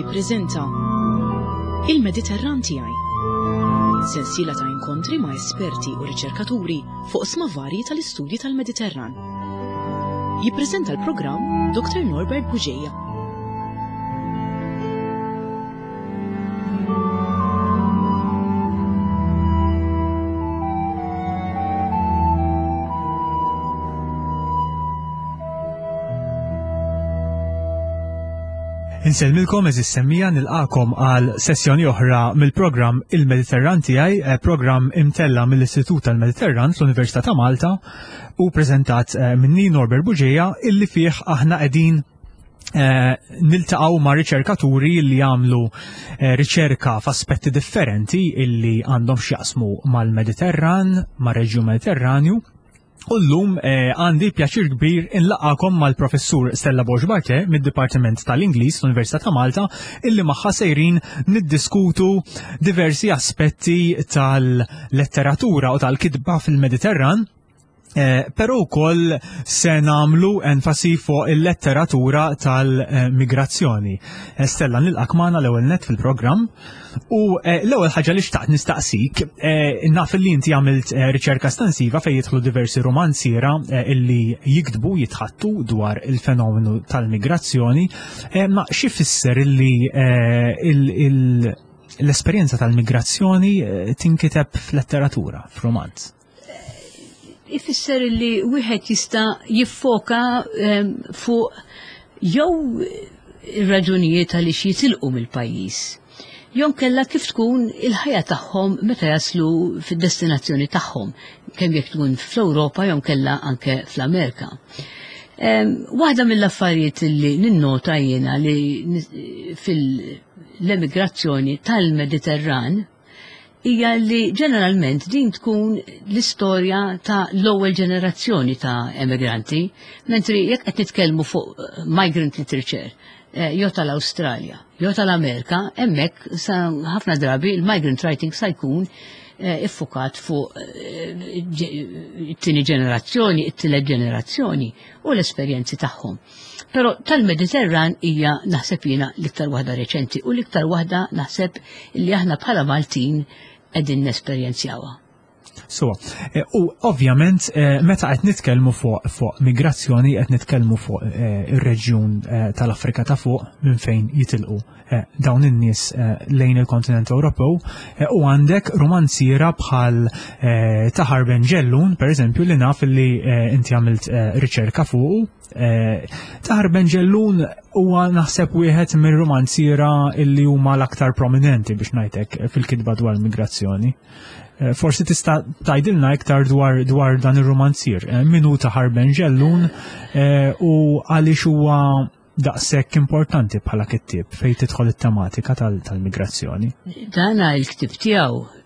jippreżenta Il-Mediterran tiegħi. Sensiela ta' inkontri ma' esperti u riċerkaturi fuq sma varji tal-istudji tal-Mediterran. Jippreżenta l-programm Dr. Norbert Bugeja. Insellmilkom eżis semmija nilqakom għal sessjoni oħra mill-programm Il-Mediterran tiegħi, eh, programm imtella mill-Istitut tal-Mediterran fl-Università ta' Malta u preżentat eh, minni Norbert Buġeja illi fih aħna qegħdin eh, niltaqgħu ma' riċerkaturi li jagħmlu riċerka f'aspetti differenti illi għandhom x'jaqsmu mal-Mediterran, mar-reġjun Mediterranju. U llum eh, għandi pjaċir kbir inlaqakom mal-professur Stella Borg Barke mid-Dipartiment tal-Ingliż l-Università ta' Malta illi magħha sejrin niddiskutu diversi aspetti tal-letteratura u tal-kitba fil-Mediterran. Eh, però wkoll se nagħmlu enfasi fuq il-letteratura tal-migrazzjoni. Eh, Stella nilqak magħna l-ewwel net fil-programm. U eh, l-ewwel ħaġa li xtaqt nistaqsik, eh, naf li inti għamilt eh, riċerka estensiva fejn jidħlu diversi romanziera illi jiktbu jitħattu dwar il-fenomenu tal-migrazzjoni, ma xi fisser illi l-esperjenza tal-migrazzjoni tinkiteb f'letteratura, f'romanz? Ifisser li wieħed jista' jiffoka ehm, fuq jew ir-raġunijiet għaliex jitilqu mill-pajjiż. Jew kella kif tkun il-ħajja tagħhom meta jaslu fid-destinazzjoni tagħhom, kemm jekk tkun fl-Ewropa jew kella anke fl-Amerika. Ehm, waħda mill-affarijiet li ninnota jiena li fil-emigrazzjoni tal-Mediterran hija li ġeneralment din tkun l-istorja ta' l-ewwel ġenerazzjoni ta' emigranti, mentri jekk qed nitkellmu fuq eh, migrant literature eh, jew tal-Awstralja, jew tal-Amerika, hemmhekk sa ħafna drabi il-migrant writing sa jkun eh, iffukat fuq it-tieni ġenerazzjoni, it-tielet ġenerazzjoni u l-esperjenzi tagħhom. Però tal-Mediterran hija naħseb jiena l-iktar waħda reċenti u l-iktar waħda naħseb li aħna bħala Maltin qegħdin nesperjenzjawha. So, eh, u ovvjament eh, meta qed nitkellmu fuq fuq migrazzjoni qed nitkellmu fuq eh, ir-reġjun tal-Afrika ta' fuq minn fejn jitilqu dawn in-nies lejn il-kontinent Ewropew u għandek romanziera bħal Tahar Ben Ġellun, per eżempju, li naf li inti għamilt riċerka fuqu Eh, Tahar Benġellun huwa naħseb wieħed mir-romanziera illi huma l-aktar prominenti biex ngħidlek fil-kitba dwar migrazzjoni. Eh, forsi tista' tgħidilna iktar dwar dwar dan ir-romanzier. Eh, min hu Tahar Benġellun u għaliex huwa daqshekk importanti bħala kittieb fejn tidħol it-tematika tal-migrazzjoni. Dana il-ktib tiegħu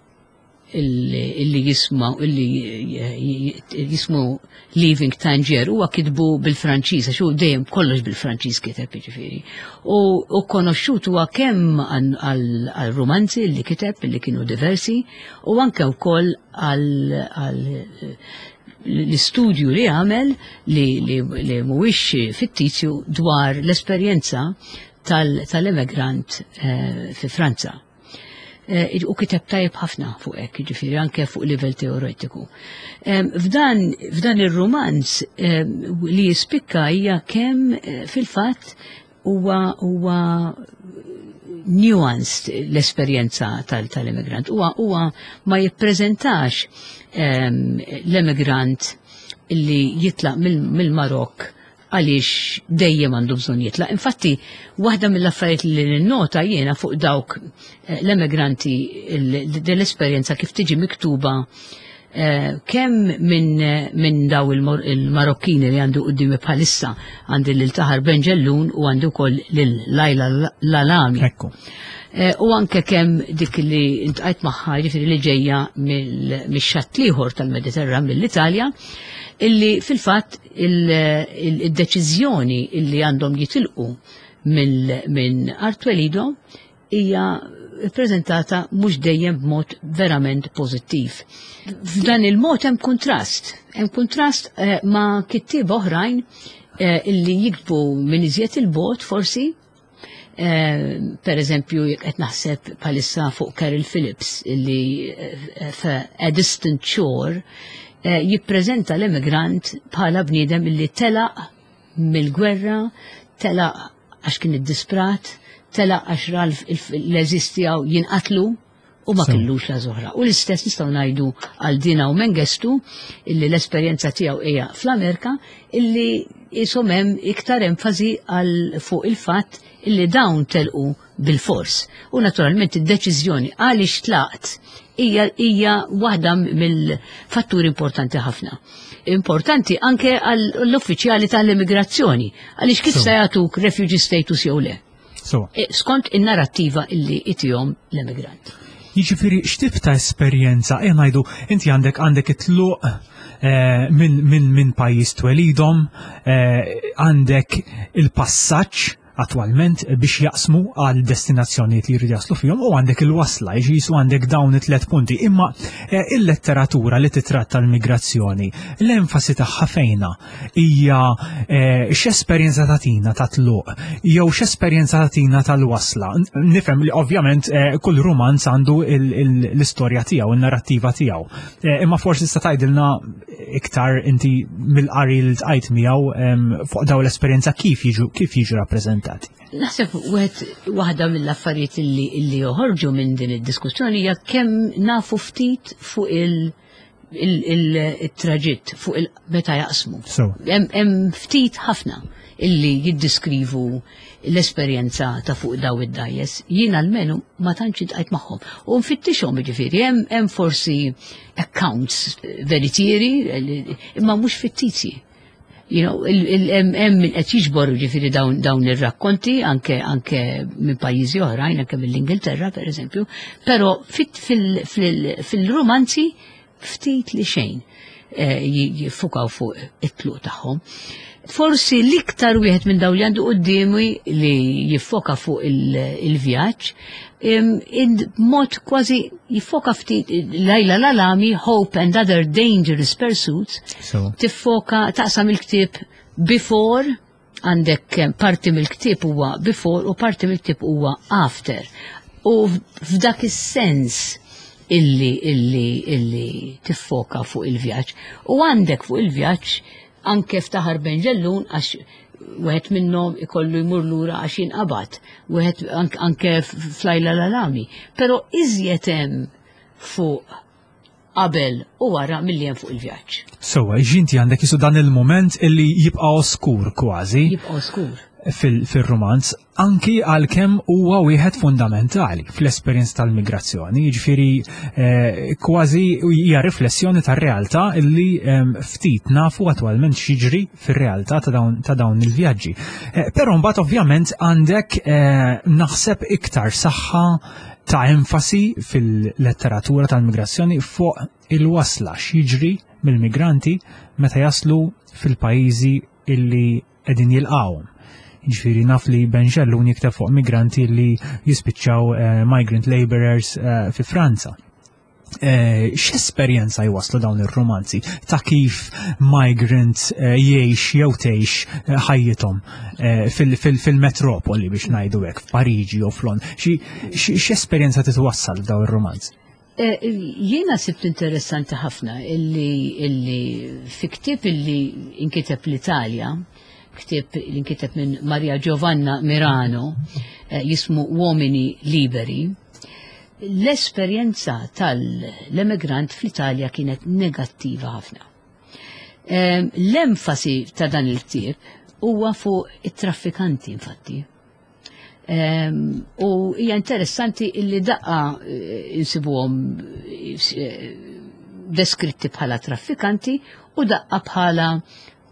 illi jisma illi jismu Leaving Tangier huwa kitbu bil-Franċiż għax hu dejjem kollox bil-Franċiż kiteb jiġifieri. U konoxxut huwa kemm għal romanzi li kiteb li kienu diversi u anke wkoll għal l-istudju li għamel li, li, li mhuwiex fittizju dwar l-esperjenza tal-emigrant eh, fi Franza. Eh, u kiteb tajjeb ħafna fuq hekk, jiġifieri anke fuq livell teoretiku. F'dan, f'dan ir-rumanz li jispikka hija kemm eh, fil-fatt huwa huwa nuanced l-esperjenza tal-immigrant. Huwa huwa ma jippreżentax l-immigrant li jitlaq mill-Marokk għaliex dejjem għandu bżonn jitlaq. Infatti, waħda mill-affarijiet li ninnota jiena fuq dawk eh, l-emigranti l-esperjenza kif tiġi miktuba eh, kemm minn min daw il-Marokkini li għandu qudiemi bħalissa għandi lil Taħar Benġellun u għandu wkoll lil Lajla Lalami. Ekku. Eh, u anke kemm dik li ntqajt magħha jiġifieri li ġejja mix-xatt l-ieħor tal-Mediterran mill-Italja, illi fil-fatt il-deċiżjoni illi għandhom jitilqu minn art twelidhom hija ppreżentata mhux dejjem b'mod verament pożittiv. F'dan il-mod hemm kuntrast, hemm kuntrast eh, ma' kittieba oħrajn eh, illi jiktbu minn iżjed il-bot forsi. Per eżempju, jekk qed naħseb bħalissa fuq Carol Phillips li A Distant Shore jippreżenta l-emigrant bħala bniedem li telaq mill-gwerra, telaq għax kien iddisprat, telaq għax ra l-għeżież tiegħu jinqatlu u ma kellux la zoħra. U l-istess nistgħu ngħidu għal Dina u Mengestu illi l-esperjenza tiegħu hija fl-Amerika illi jisom hemm iktar enfasi għal fuq il-fatt illi dawn telqu bil-fors. U naturalment id-deċiżjoni għaliex tlaqt hija hija waħda mill-fatturi importanti ħafna. Importanti anke għall-uffiċjali tal-immigrazzjoni għaliex kif se jagħtuk refugee status jew le. So. E, skont in-narrattiva illi itihom l-emigrant. Jiġifieri x'tip ta' esperjenza, e ngħidu inti għandek għandek it-tluq eh, minn min, min pajjiż twelidhom, eh, għandek il-passaġġ attwalment biex jaqsmu għal destinazzjonijiet li jridu jaslu fihom u għandek il-wasla, jiġu għandek dawn it-tlet punti. Imma eh, il-letteratura li titratta l-migrazzjoni, l-enfasi tagħha fejna hija eh, x'esperjenza tagħtina ta' tluq jew x'esperjenza tagħtina tal-wasla. Nifhem li ovvjament eh, kull rumanz għandu l-istorja tiegħu, in-narrattiva tiegħu. Eh, imma forsi tista' tgħidilna iktar inti mill-qari li tqajt miegħu fuq daw l-esperjenza kif jiġu kif jiġu rappreżentati. Naħseb wieħed waħda mill-affarijiet li joħorġu minn din id-diskussjoni hija kemm nafu ftit fuq il- il-traġitt fuq il-meta jaqsmu. Hemm ftit ħafna illi jiddiskrivu l-esperjenza ta' fuq daw id-dajes. Jien almenu ma tantx intqajt magħhom. U nfittixhom jiġifieri hemm forsi accounts veritieri imma mhux fittizji. You know, hemm min qed jiġbor ġifieri dawn, dawn ir-rakkonti anke anke minn pajjiżi oħrajn, anke mill-Ingilterra pereżempju, però fil-romanzi ftit li xejn eh, jiffukaw fuq it-tluq tagħhom. Forsi l-iktar wieħed minn dawn li għandu quddiemi li jiffoka fuq il-vjaġġ in mod kważi jiffoka ftit Lajla Lalami, Hope and Other Dangerous Pursuits, tiffoka taqsam il-ktieb before għandek parti mill-ktieb huwa before u parti mill-ktieb huwa after. U f'dak is-sens illi illi illi tiffoka fuq il-vjaġġ. U għandek fuq il-vjaġġ anke ftaħar Benġellun għax wieħed minnhom ikollu jmur lura għax jinqabad, wieħed anke flajla l-alami. Però iżjed hemm fuq qabel u wara milli hemm fuq il-vjaġġ. Sewwa, ġinti għandek jisu dan il-moment illi jibqa' oskur kważi. Jibqa' oskur. Fil-romanz, anki għalkemm huwa wieħed fundamentali fl-esperjenza tal-migrazzjoni, jiġifieri eh, kważi hija riflessjoni tar-realtà illi ehm, ftit nafu attwalment x'jiġri fir-realtà ta' dawn il-vjaġġi. Eh, però mbagħad ovvjament għandek eh, naħseb iktar saħħa ta' enfasi fil-letteratura tal-migrazzjoni fuq il-wasla x'jiġri mill-migranti meta jaslu fil-pajjiżi illi qegħdin jilqgħuhom. Jiġifieri naf li Ben Ġellun jikteb fuq migranti li jispiċċaw eh, migrant laborers eh, fi Franza. Eh, x'esperjenza jwaslu dawn ir-romanzi ta' kif migrant jgħix jew tgħix ħajjithom fil-metropoli biex ngħidu hekk f'Pariġi jew f'Londra. X'esperjenza titwassal f'dawn ir-romanzi? Jiena sibt interessanti ħafna illi, illi fi ktieb illi inkiteb l-Italja, ktieb li nkiteb minn Maria Giovanna Mirano, eh, jismu Uomini Liberi, l-esperjenza tal-emigrant fl-Italja kienet negattiva ħafna. Eh, l-enfasi ta' dan il-ktieb huwa fuq it-traffikanti infatti. U hija interessanti illi daqqa eh, insibuhom eh, deskritti bħala traffikanti u daqqa bħala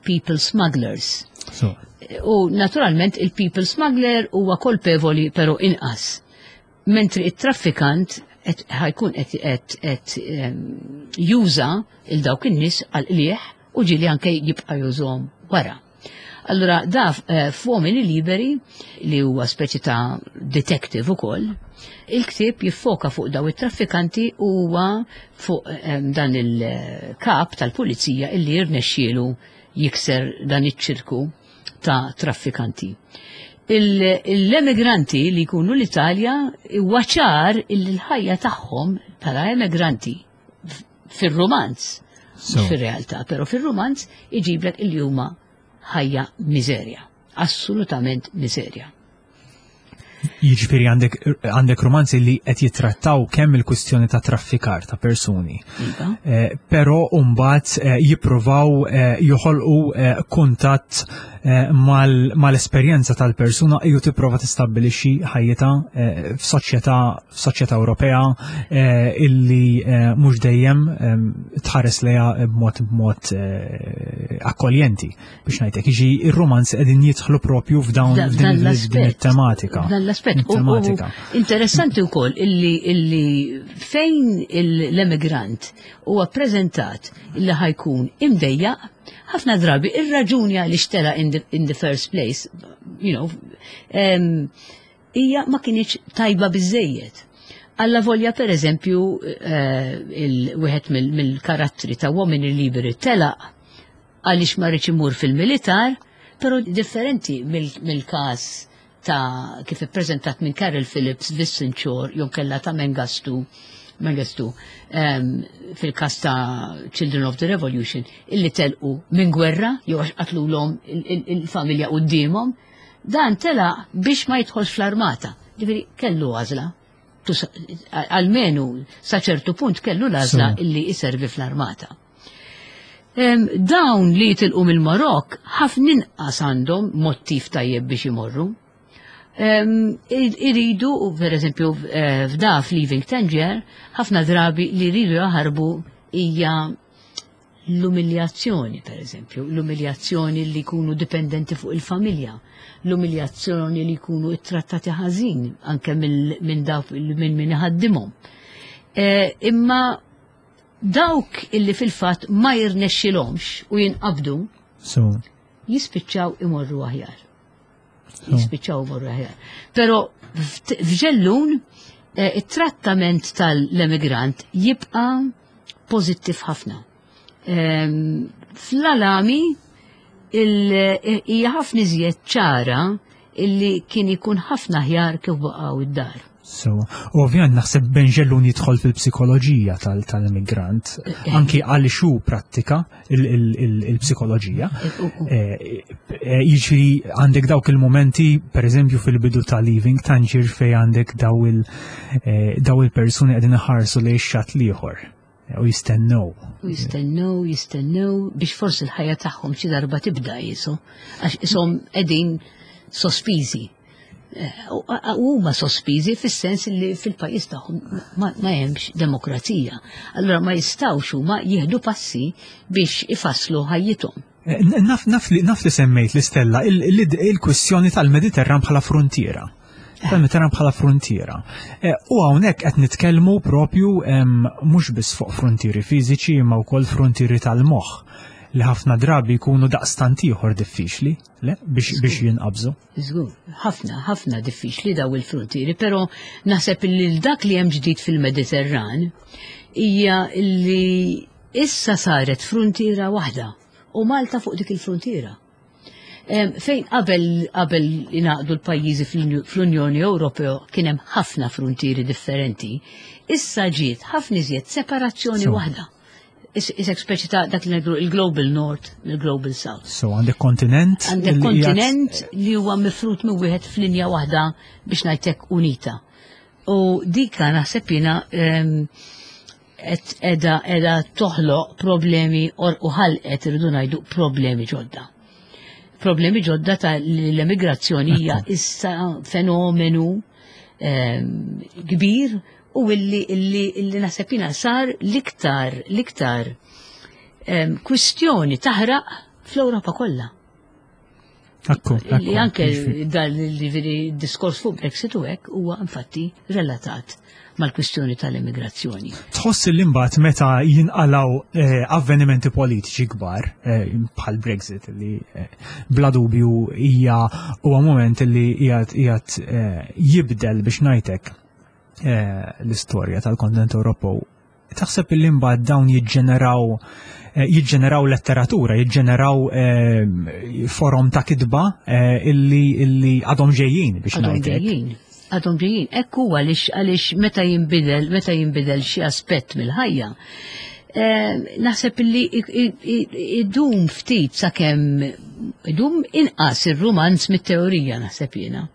people smugglers. So. U naturalment il-people smuggler huwa kolpevoli pero inqas. Mentri it-traffikant ħajkun qed juża il dawk in-nies għal qliegħ u ġieli anke jibqa' jużhom wara. Allura da eh, f'Uomini Liberi li huwa speċi ta' detective ukoll, il-ktieb jiffoka fuq daw it-traffikanti u huwa fuq eh, dan il-kap tal-pulizija illi jirnexxielu jikser dan iċ-ċirku ta' traffikanti. L-emigranti li jkunu l-Italja huwa ċar illi l-ħajja tagħhom bħala emigranti fir-romanz, fir-realtà, però fir-romanz iġiblek illi huma ħajja miżerja, assolutament miżerja. Jiġifieri għandek għandek romanzi li qed jittrattaw kemm il-kwistjoni ta' traffikar ta' persuni. Iva. Eh, però mbagħad eh, jippruvaw eh, joħolqu eh, kuntatt eh, mal-esperjenza tal-persuna ju tipprova tistabbilixxi ħajjitha eh, f'soċjetà f'soċjetà Ewropea eh, illi mhux dejjem tħares lejha b'mod b'mod akkoljenti biex ngħidlek. Jiġi ir-romanzi qegħdin jidħlu propju f'dawn din it-tematika. Dan l-aspett. Tematika. Interessanti wkoll illi illi fejn l-emigrant huwa ppreżentat illi ħajkun imdejjaq ħafna drabi ir-raġuni għaliex tela in the, in the first place, you know, hija ma kinitx tajba biżejjed. Alla volja per eżempju eh, il-wieħed mill-karattri ta' Uomini Liberi telaq għaliex ma rridx imur fil-militar, però differenti mill-każ ta' kif ippreżentat minn Carol Phillips Vincent Shore jew kella ta' Mengistu Mengistu um, fil-każ ta' Children of the Revolution illi telqu minn gwerra jew għax qatlulhom il-familja quddiemhom, dan telaq biex ma jidħolx fl-armata. Ġifieri kellu għażla. Almenu sa ċertu punt kellu l-għażla illi jservi fl-armata. Dawn li jitilqu mill-Marokk ħafna inqas għandhom mottiv tajjeb biex imorru. Iridu, per eżempju, eh, f'da f'Leaving Tangier, ħafna drabi li jridu jaħarbu hija l-umiljazzjoni, per eżempju, l-umiljazzjoni li jkunu dipendenti fuq il-familja, l-umiljazzjoni li jkunu ittrattati ħażin anke minn dawk minn min iħaddimhom. Eh, imma Dawk illi fil-fatt ma jirnexxilhomx u jinqabdu So. jispiċċaw imorru aħjar. Jispiċċaw imorru aħjar. Però f'ġellun eh, it-trattament tal-emigrant jibqa' pożittiv ħafna. Ehm, Fl-alami eh, hija ħafna iżjed ċara illi kien ikun ħafna aħjar kif baqgħu id-dar. So, u ovvjament naħseb Benġellun jidħol fil-psikoloġija tal-immigrant, eh, eh. anki għaliex hu prattika il-psikoloġija. Eh, jiġifieri għandek dawk il-momenti, per eżempju fil-bidu ta' Leaving Tangier fej għandek daw il-persuni qegħdin iħarsu lejn xatt l-ieħor. U jistennew. U jistennew, jistennew biex forsi l-ħajja tagħhom xi darba tibda jisu, għax ishom qegħdin sospiżi. Eh, u huma sospiżi fis-sens li fil-pajjiż tagħhom ma hemmx demokrazija. Allura ma jistgħux huma jieħdu passi biex ifasslu ħajjithom. Eh, naf, naf, li, naf li semmejt l-istella il-kwistjoni tal-Mediterran bħala frontiera. Tal-Mediterran bħala frontiera. Eh, u hawnhekk qed nitkellmu propju mhux biss fuq frontieri fiżiċi imma wkoll frontieri tal-moħħ li ħafna drabi jkunu daqstant ieħor diffiċli, le, biex, biex jinqabżu. Żgur, ħafna, ħafna diffiċli daw il-frontieri, però naħseb li dak li hemm ġdid fil-Mediterran hija li issa saret frontiera waħda u Malta fuq dik il-frontiera. Fejn qabel qabel ingħaqdu l-pajjiżi fl-Unjoni Ewropea kien hemm ħafna frontieri differenti, issa ġiet ħafna iżjed separazzjoni waħda. Isek speċi ta' dak li ngħidu il-Global North mill-Global South. So għandek kontinent. Għandek kontinent li huwa mifrut minn wieħed f'linja waħda biex ngħidlek unita. U dika naħseb jiena qed edha edha toħloq problemi u ħalqet irridu ngħidu problemi ġodda. Problemi ġodda ta' l-emigrazzjoni hija issa fenomenu ehm, kbir u illi illi illi naħseb jiena sar l-iktar l-iktar ehm, kwistjoni taħraq fl-Ewropa kollha. Akku, Li anke dan li diskors fuq Brexit u hekk huwa infatti relatat mal-kwistjoni tal-immigrazzjoni. Tħoss li mbagħad meta jinqalaw eh, avvenimenti politiċi kbar eh, bħal Brexit li eh, bla dubju hija huwa moment li qiegħed jibdel biex ngħidlek l-istorja tal-kontinent Ewropew. Taħseb li mbagħad dawn jiġġeneraw eh, jiġġeneraw letteratura, jiġġeneraw eh, forom ta' kitba eh, illi illi għadhom ġejjin biex Għadhom ġejjin. Għadhom ġejjin. Hekk huwa għaliex għaliex meta jinbidel meta jinbidel xi aspett mill-ħajja. Naħseb illi idum ftit sakemm idum inqas ir-rumanz mit-teorija naħseb jiena.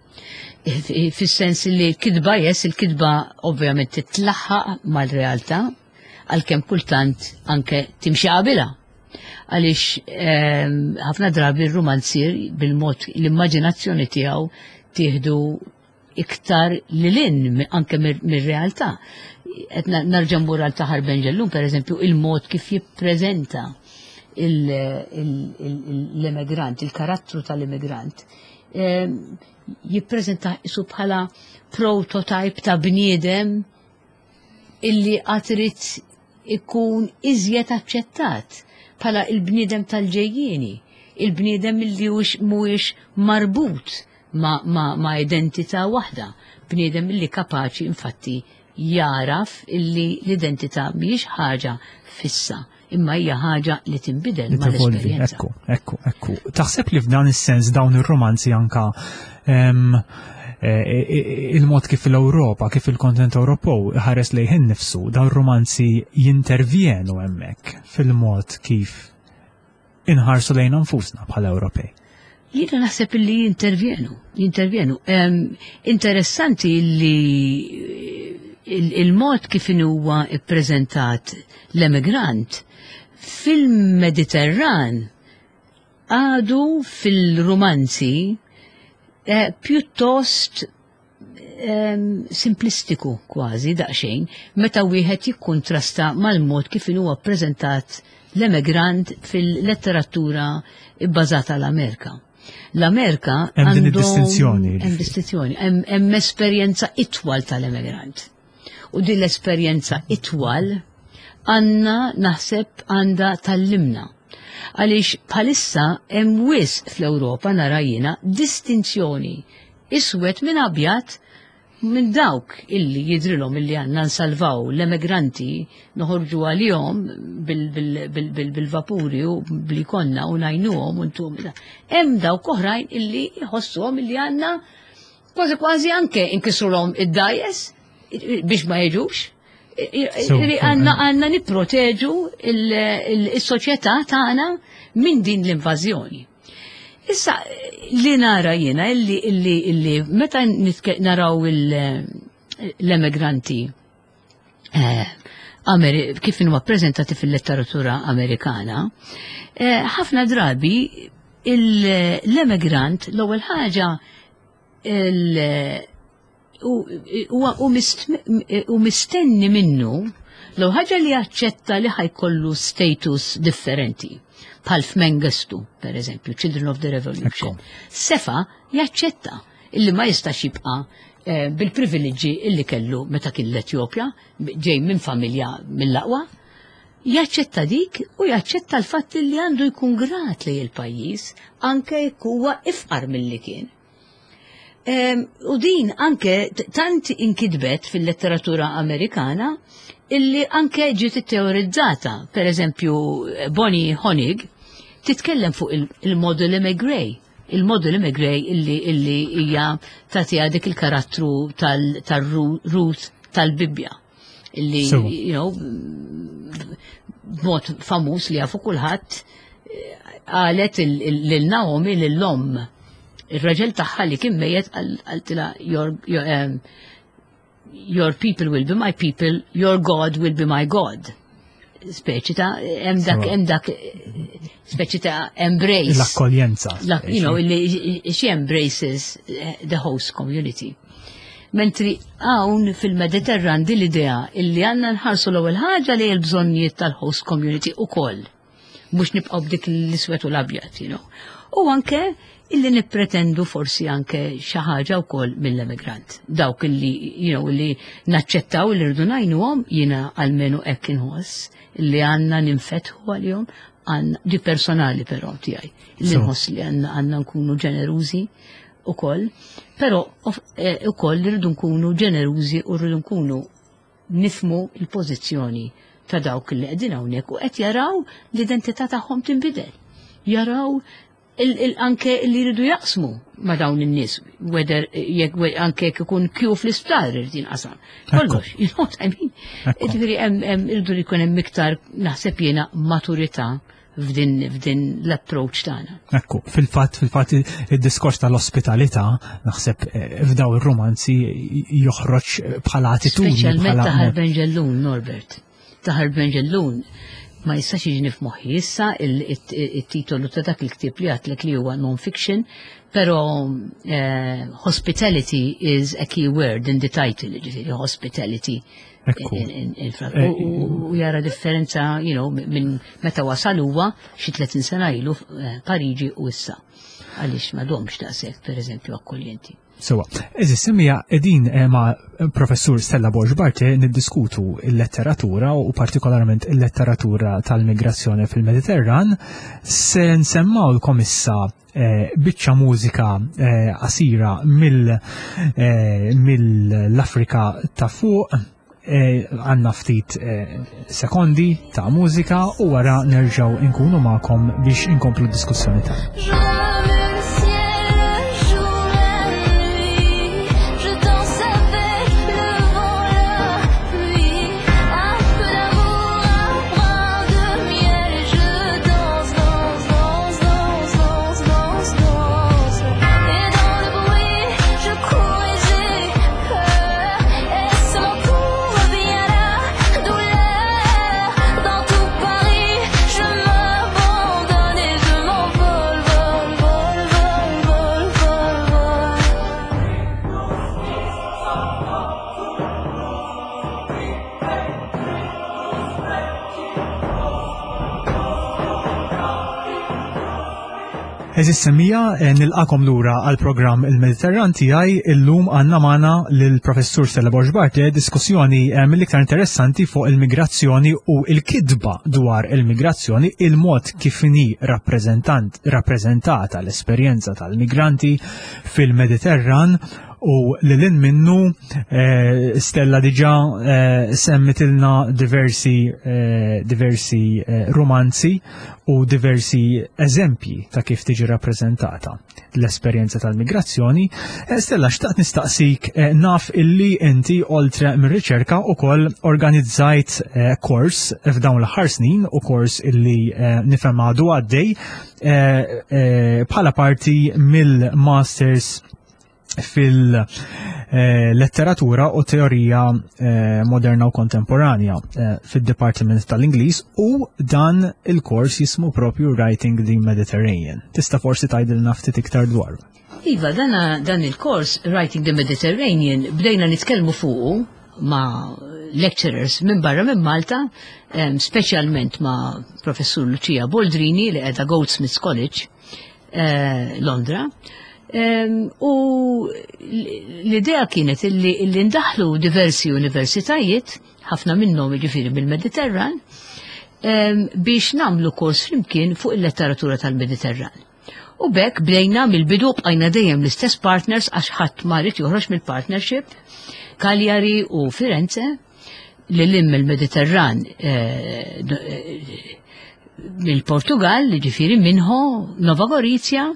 Fis-sens li l-kitba jes, il-kitba ovvjament titlaħħaq mal-realtà, għalkemm kultant anke timxi qabilha. Għaliex ehm, ħafna drabi r-romanzier bil-mod l-immaġinazzjoni tiegħu tieħdu iktar lilin anke mir-realtà. Qed narġa' mmur għal Taħar Benġellum, per eżempju, il-mod kif jippreżenta l-immigrant, il-karattru tal-immigrant. Ehm, jippreżenta isu bħala prototype ta' bniedem illi għatrit ikun iżjed aċċettat bħala il-bniedem tal-ġejjieni, il-bniedem illi mhuwiex marbut ma, ma, ma identità waħda, bniedem illi kapaċi infatti jaraf illi l-identità mhijiex ħaġa fissa imma hija ħaġa li tinbidel mal-esperjenza. Ekku, ekku, ekku. Taħseb li f'dan is-sens dawn ir-romanzi anka e, e, e, il-mod kif l-Ewropa, kif il-kontinent Ewropew ħares lejh innifsu, dawn romanzi jintervjenu hemmhekk fil-mod kif inħarsu lejn nfusna bħala Ewropej. Jiena naħseb li jintervjenu, jintervjenu. Interessanti li il-mod kif huwa ippreżentat l-emigrant fil-Mediterran għadu fil-romanzi eh, pjuttost simplistiku kważi daqsxejn meta wieħed jikkuntrasta mal-mod kif huwa ppreżentat l-emigrant fil-letteratura bbażata l-Amerika. L-Amerika hemm din id-distinzjoni. Hemm distinzjoni, hemm esperjenza itwal tal-emigrant. U din l-esperjenza itwal għandna naħseb għandha tallimna. Għaliex bħalissa hemm wisq fl-Ewropa nara jiena distinzjoni iswed minn abjad minn dawk illi jidrilhom illi għandna nsalvaw l-emigranti noħorġu għalihom bil-vapuri u bli konna u ngħinuhom u ntum. Hemm dawk oħrajn illi jħossuhom illi għandna kważi kważi anke inkisrulhom id-dajes biex ma jiġux. Għanna għanna nipproteġu il-soċjetà tagħna minn din l-invażjoni. Issa li nara jiena illi illi illi meta naraw l-emigranti eh, kif huma ppreżentati fil-letteratura Amerikana, eh, ħafna drabi l-emigrant l-ewwel ħaġa u mistenni minnu l ħaġa li jaċċetta li ħajkollu status differenti bħal f'Mengistu, per eżempju, Children of the Revolution. Sefa jaċċetta illi ma jistax jibqa' eh, bil-privileġġi illi kellu meta kien l-Etjopja, ġej minn familja mill-aqwa, jaċċetta dik u jaċċetta l-fatt li għandu jkun grat li il-pajjiż anke jekk huwa ifqar milli kien. U din anke tant inkitbet fil-letteratura Amerikana illi anke ġiet teorizzata. Per eżempju, Bonnie Honig titkellem fuq il-model Gray. Il-model Gray illi illi hija tagħtiha dik il-karattru tal-Ruth tal-Bibbja. Illi, you know, b'mod famuż li jafu kulħadd qalet lil Naomi lil-omm ir-raġel tagħha li kien mejjet qaltilha your, your, um, your people will be my people, your God will be my God. Speċi ta' hemm dak hemm dak speċi ta' embrace. L-akkoljenza. You know, li she embraces the host community. Mentri hawn fil-Mediterran din l-idea illi għandna nħarsu l-ewwel ħaġa li l-bżonnijiet tal-host community ukoll. Mhux nibqgħu b'dik l-iswed u l-abjad, you know. U anke illi nippretendu forsi anke xi ħaġa wkoll mill-emigrant. Dawk illi, you know, illi naċċettaw li rridu ngħinuhom jiena almenu hekk inħoss illi għandna ninfetħu għalihom għandna di personali però tiegħi. Illi nħoss li għandna għandna nkunu ġenerużi ukoll, però eh, ukoll rridu nkunu ġenerużi u rridu nkunu nifmu il-pożizzjoni ta' dawk li qegħdin hawnhekk u qed jaraw l-identità tagħhom tinbidel. Jaraw anke li jridu jaqsmu ma' dawn in-nies, whether jekk anke jekk ikun kju fl-isptar irid jinqasam. Kollox, you know what I mean? Ġifieri hemm irridu li jkun hemm iktar naħseb jiena maturità f'din f'din l-approach tagħna. Ekku, fil-fatt fil-fatt id-diskors tal-ospitalità naħseb eh, f'daw ir-romanzi joħroġ bħala attitudni. Speċjalment ta' Benġellun, Norbert. Taħar Benġellun ma jistax jiġni f'moħħi issa il-titolu ta' dak il-ktieb li għatlek li huwa non-fiction, pero eh, hospitality is a key word in the title, ġifieri hospitality. Eh, u jara differenza, you know, minn meta wasal huwa xi 30 sena ilu eh, Pariġi u issa. Għaliex ma domx daqshekk, pereżempju, akkoljenti. Sewa, eżis semija edin eh, ma' professur Stella Borg Barte niddiskutu il-letteratura u partikolarment il-letteratura tal-migrazzjoni fil-Mediterran. Se nsemmawlkom issa eh, biċċa mużika eh, qasira mill-Afrika ta' fuq għanna ftit sekondi ta' mużika u wara nerġaw inkunu magħkom biex inkomplu d-diskussjoni tagħna. Eżis semija, eh, nilqakom lura għal programm il-Mediterran tiegħi illum għandna magħna lill-Professur Stella Borg Bartle diskussjoni eh, mill-iktar interessanti fuq il-migrazzjoni u il-kidba dwar il-migrazzjoni, il-mod kif inhi rappreżentant rappreżentata l-esperjenza tal-migranti fil-Mediterran u li lin minnu eh, Stella diġa eh, semmitilna diversi, eh, diversi romanzi u diversi eżempji ta' kif tiġi rappreżentata l-esperjenza tal-migrazzjoni. Stella, xtaqt nistaqsik naf illi inti oltre mir-riċerka u koll organizzajt kors f'dawn l-aħħar snin u kors illi nifhem għadu għaddej bħala parti mill-Masters fil-letteratura u teorija eh, moderna u kontemporanja eh, fid-Dipartiment tal-Ingliż u dan il-kors jismu propju Writing the Mediterranean. Tista' forsi tgħidilna ftit iktar dwaru. Iva, dana, dan il-kors Writing the Mediterranean bdejna nitkellmu fuqu ma' lecturers minn barra minn Malta, speċjalment ma' professur Lucia Boldrini li qiegħda Goldsmiths College eh, Londra. U l-idea kienet illi ndaħlu diversi universitajiet, ħafna minnhom jiġifieri mill-Mediterran, biex namlu kors flimkien fuq il-letteratura tal-Mediterran. U bekk bdejna mill-bidu bqajna dejjem l-istess partners għax ħadd ma rid joħroġ mill-partnership, Cagliari u Firenze, li lim il-Mediterran eh, eh, mill-Portugal, ġifiri minħo Nova Gorizia,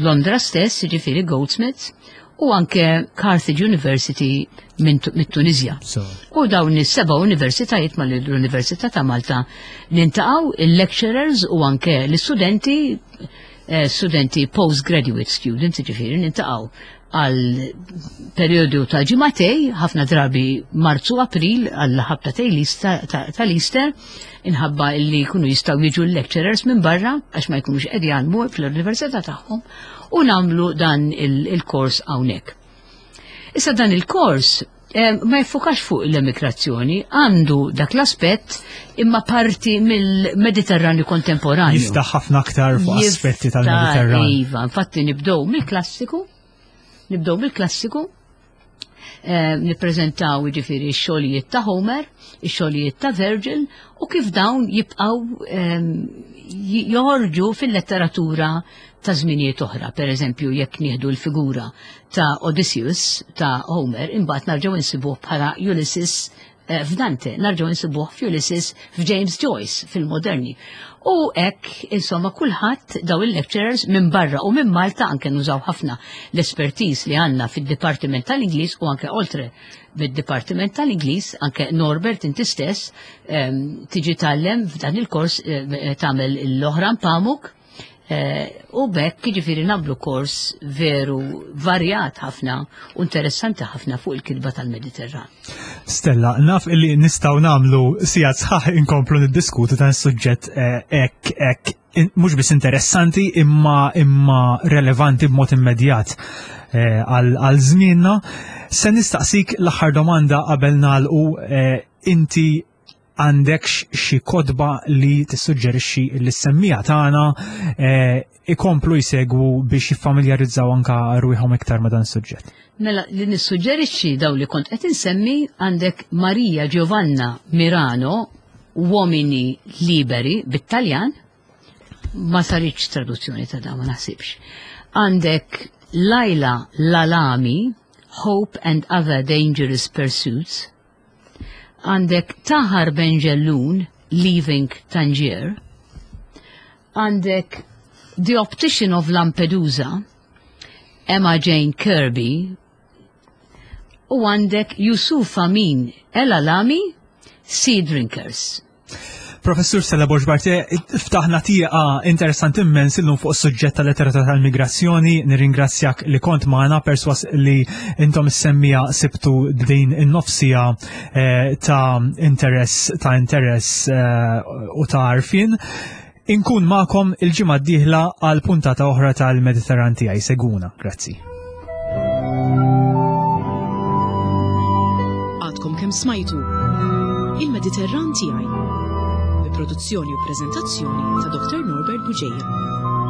Londra stess, ġifiri Goldsmiths, u anke Carthage University mit-Tunizja. U dawn is-seba' universitajiet mal l-Università ta' Malta nintaqgħu il-lecturers u anke l-istudenti eh, studenti postgraduate students, ġifiri nintaqgħu għal periodu ta' ġimatej, ħafna drabi Marzu April għal ħabta tal-Easter, inħabba illi jkunu jistgħu jiġu l-lecturers minn barra għax ma jkunux qed jgħallmu fl-università tagħhom u nagħmlu dan il-kors hawnhekk. Issa dan il-kors eh, ma jiffukax fuq l-emigrazzjoni, għandu dak l-aspett imma parti mill-Mediterranju kontemporanju. Jiftaħ ħafna aktar fuq aspetti tal-Mediterran. Iva, infatti nibdew mill-klassiku, nibdew mill-klassiku, eh, nippreżentaw jiġifieri x-xogħlijiet ta' Homer, ix-xogħlijiet ta' Virgil u kif dawn jibqgħu ehm, joħorġu fil-letteratura ta' żminijiet oħra. Per eżempju, jekk nieħdu l-figura ta' Odysseus ta' Homer, imbagħad narġgħu insibuh bħala Ulysses eh, f'Dante, narġgħu nsibuh f'Ulysses f'James Joyce fil-moderni. U hekk, insomma, kulħadd daw il-lecturers minn barra u minn Malta anke nużaw ħafna l-espertiż li għandna fid-Dipartiment tal-Ingliż u anke oltre bid-Dipartiment tal-Ingliż, anke Norbert inti stess ehm, tiġi tgħallem f'dan il-kors eh, tagħmel l-oħra pamuk eh, u bekk jiġifieri nagħmlu kors veru varjat ħafna u interessanti ħafna fuq il-kitba tal-Mediterran. Stella, naf illi nistgħu nagħmlu sigħat sħaħ inkomplu niddiskutu dan is-suġġett eh, hekk hekk mhux biss interessanti imma imma relevanti b'mod immedjat eh, għal żmienna. Se nistaqsik l-aħħar domanda qabel nagħlqu eh, inti għandekx xi kotba li tissuġġerixxi li s-semmija tagħna eh, ikomplu jsegwu biex jiffamiljarizzaw anka rwieħhom iktar ma' dan is-suġġett. Mela li nissuġġerixxi daw li kont qed insemmi għandek Maria Giovanna Mirano Uomini Liberi bit-Taljan, ma saritx traduzzjoni ta' dan ma naħsibx. Għandek Laila Lalami, Hope and Other Dangerous Pursuits. Għandek Tahar Benjelloun, Leaving Tangier. Għandek The Optician of Lampedusa, Emma Jane Kirby, u għandek Yusuf Amin El Alami, Sea Drinkers. Professur Stella Borg Bartier, ftaħna tieqa interessanti immens illum fuq is-suġġett tal-letteratura tal-migrazzjoni. Nirringrazzjak li kont magħna perswas li intom is-semmija sibtu din in-nofsija eh, ta' interess ta' interess eh, u ta' għarfien. Inkun magħkom il-ġimgħa d-dieħla għal puntata oħra tal-Mediterran tiegħi. Seguna, grazzi. Għadkom kemm smajtu Il-Mediterran tiegħi. Bi produzzjoni u preżentazzjoni ta' Dr. Norbert Bugeja.